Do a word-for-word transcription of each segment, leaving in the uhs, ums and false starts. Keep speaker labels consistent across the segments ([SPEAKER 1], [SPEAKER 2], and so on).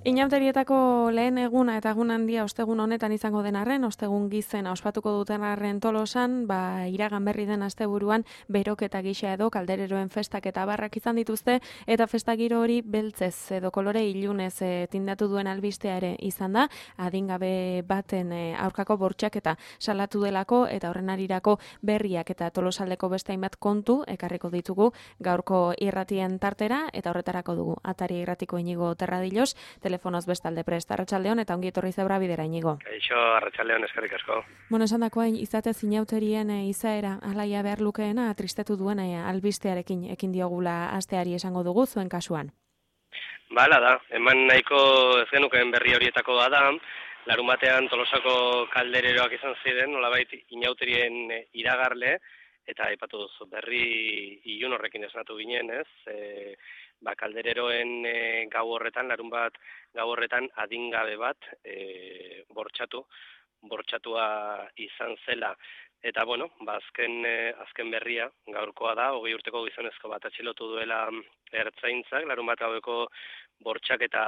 [SPEAKER 1] Inauterietako lehen eguna eta egun handia ostegun honetan izango den arren, ostegun gizena ospatuko duten arren Tolosan, ba, iragan berri den asteburuan beroketa gisa edo kaldereroen festak eta barrak izan dituzte, eta festagiro hori beltzez edo kolore ilunez e, tindatu duen albistea ere izan da, adingabe baten e, aurkako bortxaketa salatu delako eta horren arirako berriak eta Tolosaldeko beste hainbat kontu ekarriko ditugu gaurko irratien tartera, eta horretarako dugu Atari irratiko Inigo Terradilos, telefonoz bestalde prest. Arratsaldeon eta ongi etorri zebra bidera, Inigo.
[SPEAKER 2] Kaixo, arratsaldeon, eskerrik asko.
[SPEAKER 1] Bueno, esan dakoa, izate zinauterien e, izaera alaia behar lukeena tristetu duen e, albistearekin ekin diogula asteari esango dugu zuen kasuan.
[SPEAKER 2] Bala da, eman nahiko ez genukeen berri horietako bada, larun batean Tolosako kaldereroak izan ziren, nolabait inauterien iragarle, eta aipatu duzu berri ilun horrekin esnatu ginen, ez? E, ba, kaldereroen e, gau horretan, larun bat gau horretan adingabe bat e, bortxatu, bortxatua izan zela. Eta, bueno, ba, azken, e, azken berria gaurkoa da, hogei urteko gizonezko bat atxilotu duela ertzaintzak, larun bat gaueko bortxaketa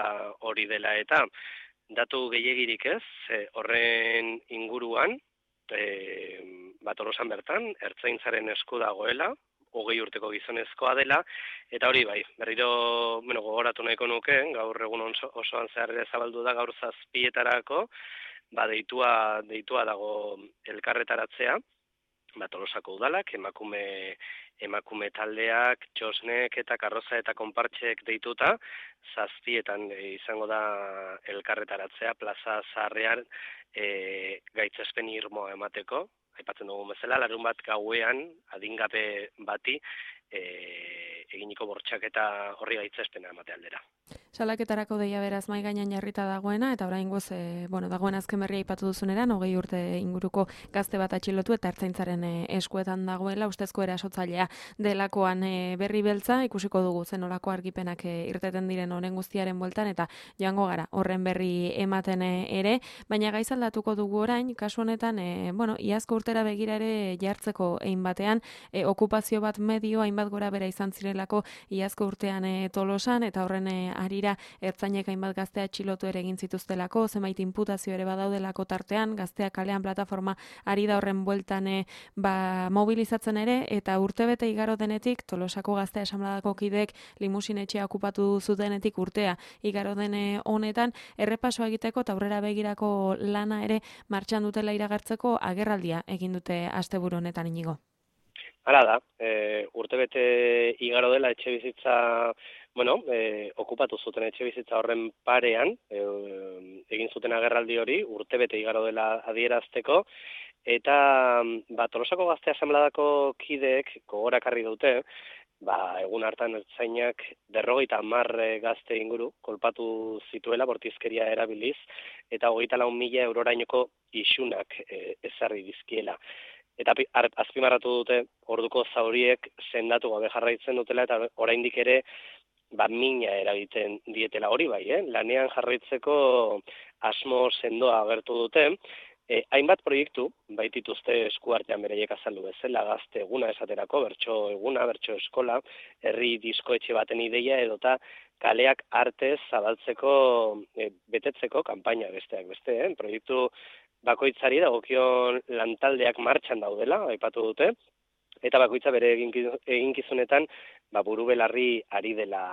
[SPEAKER 2] hori dela. Eta datu gehiegirik ez, e, horren inguruan, e, bat Tolosan bertan, ertzaintzaren esku dagoela, hogei urteko gizonezkoa dela, eta hori bai, berriro bueno, gogoratu nahiko nuke, gaur egun oso, osoan zehar ere zabaldu da, gaur zazpietarako, ba, deitua, deitua dago elkarretaratzea, ba, Tolosako udalak, emakume, emakume taldeak, txosnek eta karroza eta konpartxek deituta, zazpietan e, izango da elkarretaratzea, plaza zaharrean e, gaitzespen irmoa emateko, aipatzen dugu bezala, larun bat gauean, adingabe bati, e, eginiko bortxaketa horri gaitzespena emate aldera.
[SPEAKER 1] Salaketarako deia beraz mai gainean jarrita dagoena, eta oraingoz e, bueno, dagoen azken berria aipatu duzuneran, hogei urte inguruko gazte bat atxilotu eta ertzaintzaren e, eskuetan dagoela, ustezko erasotzailea delakoan e, berri beltza, ikusiko dugu zenolako argipenak e, irteten diren honen guztiaren bueltan, eta joango gara horren berri ematen e, ere, baina gaizaldatuko dugu orain, kasu honetan, e, bueno, iazko urtera begira ere jartzeko egin batean, e, okupazio bat medio, hainbat gora bera izan zirelako iazko urtean e, Tolosan, eta horren e, arira ertzainek hainbat gaztea atxilotu ere egin zituztelako, zenbait inputazio ere badaudelako tartean, gazteak kalean plataforma ari da horren bueltan e, ba, mobilizatzen ere, eta urtebete igaro denetik, Tolosako Gaztea Asanbladako kideek limusinetxea okupatu zutenetik urtea igaro dene honetan, errepaso egiteko eta aurrera begirako lana ere martxan dutela iragartzeko agerraldia egin dute asteburu honetan, Inigo.
[SPEAKER 2] Hala da, e, urtebete igaro dela etxe bizitza, bueno, e, okupatu zuten etxe bizitza horren parean, e, egin zuten agerraldi hori, urtebete igaro dela adierazteko, eta ba, Tolosako Gaztea Asanbladako kideek gogorakarri dute, ba, egun hartan ertzainak berrogeita hamar gazte inguru kolpatu zituela bortizkeria erabiliz, eta hogeita lau mila eurorainoko isunak e, ezarri dizkiela. Eta azpimarratu dute orduko zauriek sendatu gabe jarraitzen dutela, eta oraindik ere ba, mina eragiten dietela hori bai, eh? Lanean jarraitzeko asmo sendoa agertu dute, e, hainbat proiektu baitituzte eskuartean bereiek azaldu bezala, gazte eguna esaterako, bertso eguna, bertso eskola, herri diskoetxe baten ideia edota kaleak artez zabaltzeko, e, betetzeko kanpaina besteak beste, eh? Proiektu bakoitzari dagokion lantaldeak martxan daudela, aipatu dute, eta bakoitza bere eginkizunetan ba, buru belarri ari dela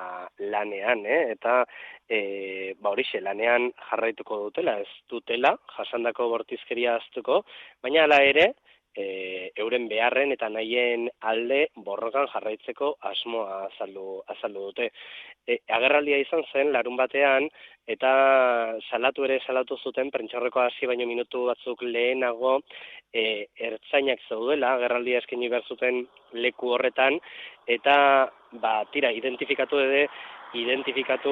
[SPEAKER 2] lanean, eh? eta e, ba, horixe lanean jarraituko dutela, ez dutela, jasandako bortizkeria aztuko, baina hala ere, E, euren beharren eta nahien alde borrokan jarraitzeko asmoa azaldu, azaldu dute. E, agerraldia izan zen larun batean, eta salatu ere salatu zuten, prentsaurreko hasi baino minutu batzuk lehenago, e, ertzainak zaudela, agerraldia eskaini behar zuten leku horretan, eta ba, tira, identifikatu ere, identifikatu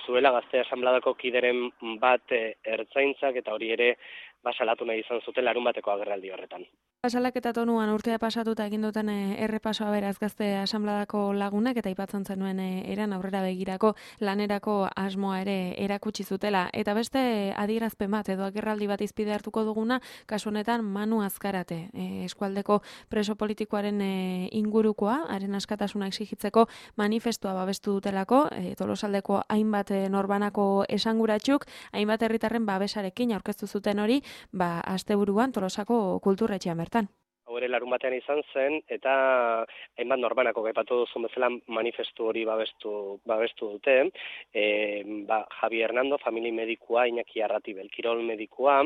[SPEAKER 2] zuela Gaztea Asanbladako kideren bat e, ertzaintzak, eta hori ere ba, salatu nahi izan zuten larun bateko agerraldi horretan.
[SPEAKER 1] Salaketa tonuan urtea pasatuta egin duten errepasoa beraz Gazte Asanbladako lagunek eta aipatzen zenuen eran aurrera begirako lanerako asmoa ere erakutsi zutela. Eta beste adierazpen bat edo agerraldi bat izpide hartuko duguna, kasu honetan Manu Azkarate, e, eskualdeko preso politikoaren e, ingurukoa, haren askatasuna exigitzeko manifestua babestu dutelako, e, Tolosaldeko hainbat e, norbanako esanguratsuk, hainbat herritarren babesarekin aurkeztu zuten hori, ba asteburuan Tolosako kulturretxean bertan.
[SPEAKER 2] Hau ere larun batean izan zen, eta hainbat norbanako gaipatu duzun bezala manifestu hori babestu, babestu dute. E, ba, Javi Hernando, famili medikua, Iñaki Arratibel, kirol medikua,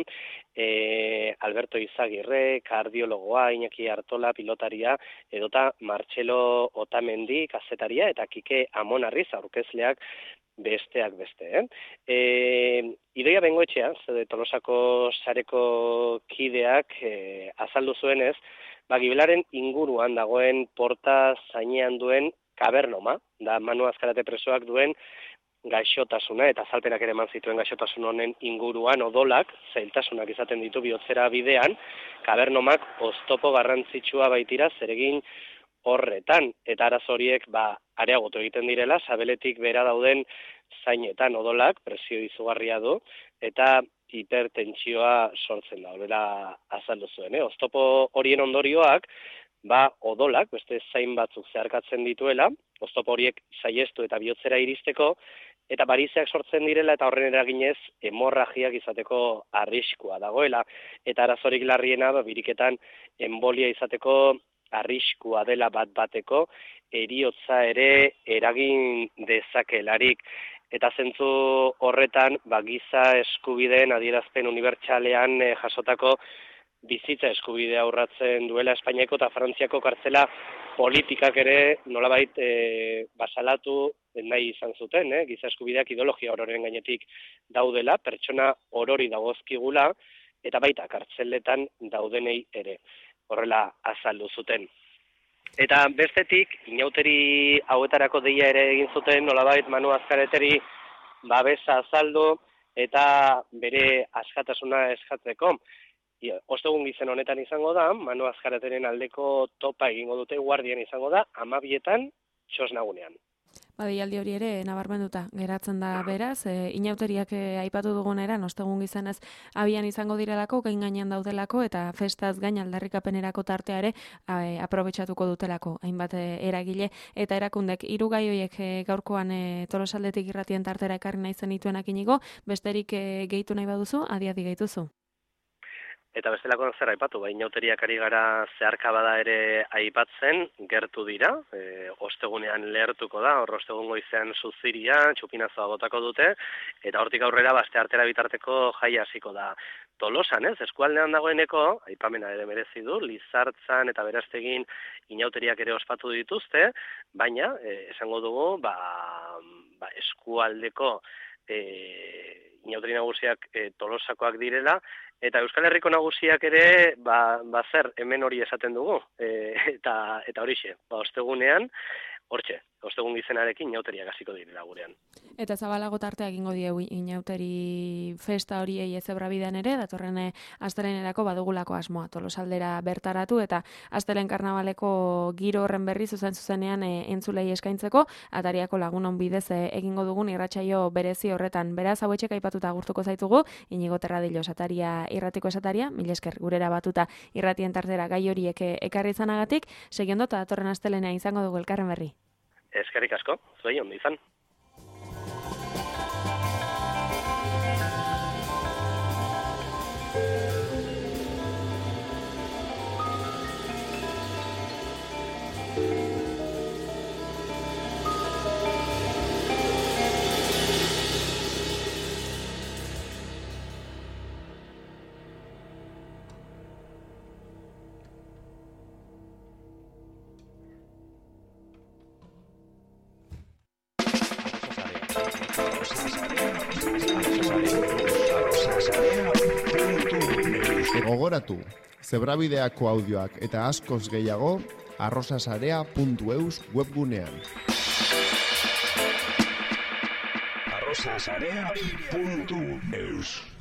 [SPEAKER 2] e, Alberto Izagirre, kardiologoa, Iñaki Artola, pilotaria, edota Martxelo Otamendi, kazetaria, eta Kike Amonarriz, aurkezleak, besteak beste, eh? E, Idoia Bengoetxea, zede Tolosako sareko kideak e, azaldu zuenez, ba, Gibelaren inguruan dagoen porta zainean duen kabernoma, da Manu Azkarate presoak duen gaixotasuna, eta azalpenak ere eman zituen gaixotasun honen inguruan odolak, zailtasunak izaten ditu bihotzera bidean, kabernomak oztopo garrantzitsua baitira zeregin horretan, eta arazo horiek ba, areagotu egiten direla, sabeletik bera dauden zainetan odolak, presio izugarria du, eta hipertentsioa sortzen da, horrela azaldu zuen. Eh? Oztopo horien ondorioak, ba, odolak, beste zain batzuk zeharkatzen dituela, oztopo horiek saiestu eta bihotzera iristeko, eta barizeak sortzen direla, eta horren eraginez, hemorragiak izateko arriskua dagoela, eta arazorik larriena, ba, biriketan embolia izateko arriskua dela bat bateko, eriotza ere eragin dezakelarik. Eta zentzu horretan, ba, giza eskubideen adierazpen unibertsalean eh, jasotako bizitza eskubidea urratzen duela Espainiako eta Frantziako kartzela politikak ere nolabait eh, basalatu nahi izan zuten, eh? Giza eskubideak ideologia ororen gainetik daudela, pertsona orori dagozkigula, eta baita kartzeletan daudenei ere. Horrela azaldu zuten. Eta bestetik, inauteri hauetarako deia ere egin zuten, nolabait Manu Azkareteri babesa azaldu eta bere askatasuna eskatzeko. Ostegun gizen honetan izango da, Manu Azkareteren aldeko topa egingo dute guardian izango da, amabietan txosnagunean.
[SPEAKER 1] Badialdi hori ere nabarmenduta geratzen da beraz, e, inauteriak e, aipatu dugun eran, ostegun gizanez abian izango direlako, gain gainean daudelako, eta festaz gain aldarrikapenerako tartea ere e, aprobetxatuko dutelako, hainbat e, eragile, eta erakundek hiru gai horiek e, gaurkoan e, Tolosaldetik irratien tartera ekarri nahi zenituenak inigo, besterik e, gehitu nahi baduzu, adi-adi gehituzu.
[SPEAKER 2] Eta bestelakoan zer aipatu, ba, inauteriak ari gara zeharkabada ere aipatzen, gertu dira, e, ostegunean lehertuko da, hor ostegun goizean suziria, txupinazoa botako dute, eta hortik aurrera baste artera bitarteko jai hasiko da Tolosan, ez? Eskualdean dagoeneko, aipamena ere merezi du, Lizartzan eta Beraztegin inauteriak ere ospatu dituzte, baina, e, esango dugu, ba, ba, eskualdeko e, inauteri nagusiak e, Tolosakoak direla, eta Euskal Herriko nagusiak ere, ba, ba zer, hemen hori esaten dugu, e, eta, eta horixe, ba, ostegunean, hortxe, ostegun gizenarekin inauteriak hasiko direla gurean.
[SPEAKER 1] Eta zabalago tartea egingo diegu inauteri festa horiei Ezebrabidean ere, datorren astelehenerako badugulako asmoa Tolosaldera bertaratu, eta astelen karnabaleko giro horren berri zuzen zuzenean e, entzulei eskaintzeko, atariako lagunon bidez e, egingo dugun irratsaio berezi horretan. Beraz, hauetxek aipatuta agurtuko zaitugu, Inigo Terradillo esataria, irratiko esataria, mil esker gurera batuta irratien tartera gai horiek ekarri izanagatik, segiondo eta datorren astelehenea izango dugu elkarren berri.
[SPEAKER 2] Eskerrik asko, zuei ondo izan.
[SPEAKER 3] Gogoratu, Zebrabideako audioak eta askoz gehiago arrosasarea puntu eus webgunean. arrosasarea puntu eus